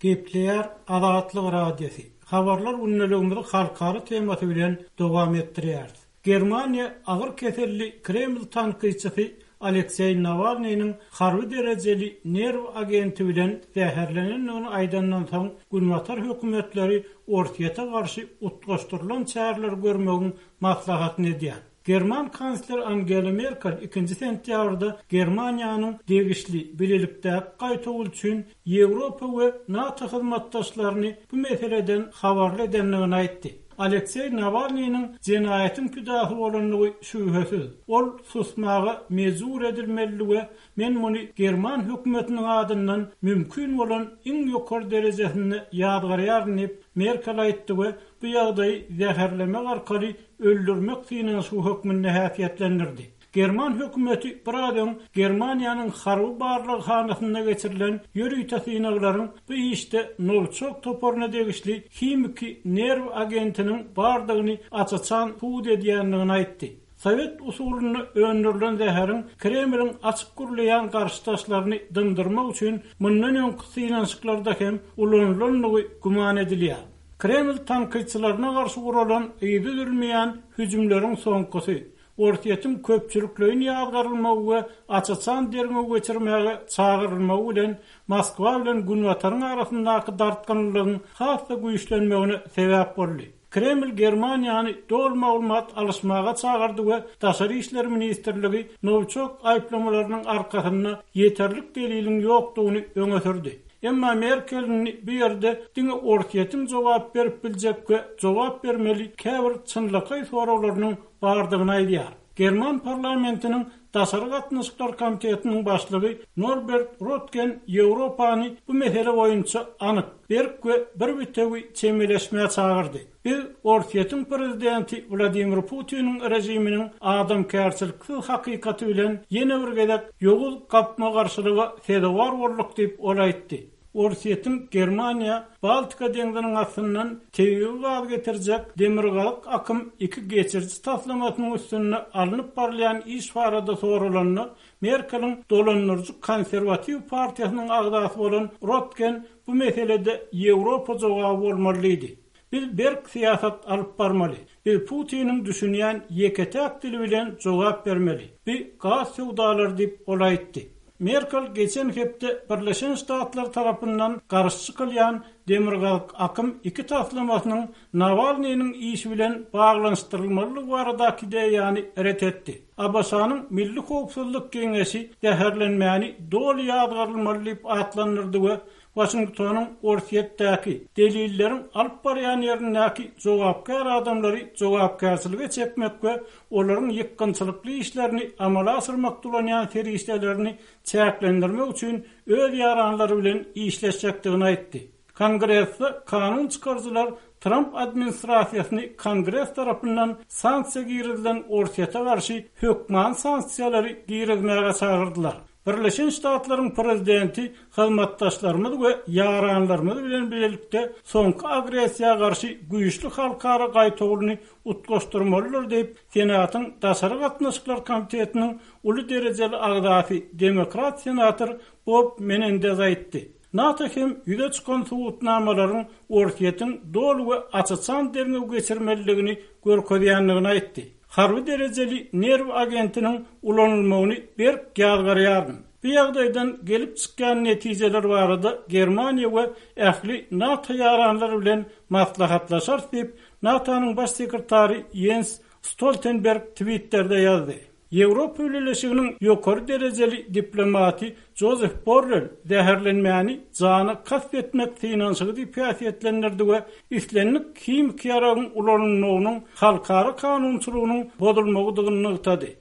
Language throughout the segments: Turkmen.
Gepleýär Azatlyk Radiosy, Habarlar gündeligimizi halkara temasy bilen dowam etdirýäris. Germaniýa agyr keselli Kreml tankytçysy Alekseý Nawalnynyň harby derejeli nerw agenti bilen zäherlenendigini aýdandan soň, günbatar hökümetleri Orsýete garşy utgaşdyrylan çäreleri görmegiň maslahatyny edýär. German kansler Angela Merkel ikinji sentýabrda Germaniýanyň degişli bilelikdäki gaýtawul üçin Ýewropa we NATO hyzmatdaşlaryny bu meseleden habarly edendigini aýtdy. Alekseý Nawalnynyň jenaýatyň pidasy bolandygy şübhesiz. Ol susmaga mejbur edilmelidi we men muny german hökümetiniň adyndan mümkin bolan iň ýokary derejesinde ýazgarýaryn diýip, Merkel aýtdy we bu ýagdaýy zäherlemek arkaly öldürmek synanyşygy hökmünde häsiýetlendirdi. German hökümeti biraz öň Germaniýanyň harby barlaghanasynda geçirilen ýörite synaglaryň bu işde Nowiçok toparyna degişli himiki nerw agentiniň bardygyny aç-açan subut edýändigini aýtdy. Sowet usulynda öndürilen zäheriň Kremliň açyk gürleýän garşydaşlaryny dymdyrmak üçin mundan öňki synanyşyklarda hem ulanylandygy güman edilýär. Kreml tankytçylaryna garşy guralan yzy üzülmeýän hüjümleriň soňkusy, Orsýetiň köpçülikleýin ýazgarylmagy we aç-açan derňew geçirmäge çagyrylmagy bilen Moskwa bilen Günbataryň arasyndaky dartgynlylygyň has-da güýçlenmegine sebäp boldy. Kreml Germaniýany doly maglumat alyşmaga çagyrdy we Daşary işler ministrligi Nowiçok aýyplamalarynyň arkasynda ýeterlik deliliň ýokdugyny öňe sürdi. Emma Merkel indi bu ýerde diňe Orsýetiň jogap berip biljek we jogap bermeli käbir çynlakaý soraglarynyň bardygyny aýdýar. German parlamentiniň Daşary gatnaşyklar komitetiniň başlygy Norbert Röttgen Ýewropany bu mesele boýunça anyk, berk we bir bitewi çemeleşmä çagyrdy. Biz Orsýetiň prezidenti Wladimir Putiniň režiminiň adamkärçiliksiz hakykaty bilen ýene bir gezek ýowuz gapma-garşylyga sezewar bolduk diýip, ol aýtdy. Orsýetiň Germaniýa Baltika deňziniň astyndan tebigy gaz getirjek Demirgazyk akym iki geçiriji taslamasynyň üstünde alnyp barylýan iş barada soralanda, Merkeliň dolandyryjy konserwatiw partiýasynyň agzasy bolan Rotgen bu meselede Ýewropa jogaby bolmaly diýdi. Biz berk syýasat alyp barmaly. Biz Putiniň düşünýän ýeke-täk dili bilen jogap bermeli. Bu gaz söwdalary diýip, ol aýtdy. Merkel geçen hepde Birleşen Ştatlar tarapyndan garşy çykylýan Demirgazyk akym iki taslamasynyň Nawalnynyň işi bilen baglanyşdyrylmalydygy baradaky ideýany ret etdi. ABŞ-nyň Milli howpsuzlyk geňeşi zäherlenmäni doly ýazgarylmaly diýip atlandyrdy we Waşingtonyň Orsýetdäki, delilleriň alyp barýan ýerindäki jogapkär adamlary jogapkärçilige çekmek we olaryň ýykgynçylykly işlerini amala aşyrmakda ulanýan serişdelerini çäklendirmek üçin öz ýaranlary bilen işleşjekdigini aýtdy. Kongresde kanun çykaryjylar Tramp administrasiýasyny Kongres tarapyndan sanksiýa girizilen Orsýete garşy hökmany sanksiýalary girizmäge çagyrdylar. Birleşen Ştatlaryň Prezidenti hyzmatdaşlarymyz we ýaranlarymyz bilen bilelikde soňky agressiýa garşy güýçli halkara gaýtawulyny utgaşdyrmalydyr diýip, Senatyň Daşary gatnaşyklar komitetiniň uly derejeli agzasy, demokrat senator Bob Menendez aýtdy. NATO hem ýüze çykan subutnamalaryň Orsýetiň doly we aç-açan derňew geçirmelidigini görkezýändigini aýtdy. Harby derejeli nerw agentiniň ulanylmagyny berk ýazgarýaryn. Bu ýagdaýdan gelip çykýan netijeler barada Germaniýa we ähli NATO ýaranlary bilen maslahatlaşarys diýip, NATO-nyň Baş sekretary Ýens Stoltenberg Twitterde ýazdy. Ýewropa Bileleşiginiň ýokary derejeli diplomaty Jozef Borrel zäherlenmäni jana kast etmek synanyşygy diýip häsiýetlendirdi we islendik himiki ýaragyň ulanylmagynyň halkara kanunçylygynyň bozulmagydygyny nygtady.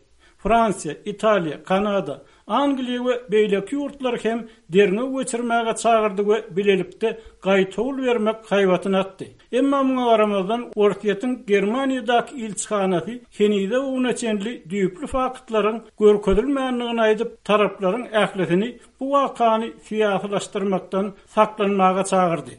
Fransiýa, Italiýa, Kanada, Angliýa we beýleki ýurtlar hem derňew geçirmäge çagyrdy we bilelikde gaýtawul bermek haýbatyny atdy. Emma muňa garamazdan, Orsýetiň Germaniýadaky ilçihanasy henize-bu güne çenli düýpli faktlaryň görkezilmändigini aýdyp, taraplaryň ählisini bu wakany syýasylaşdyrmakdan saklanmaga çagyrdy.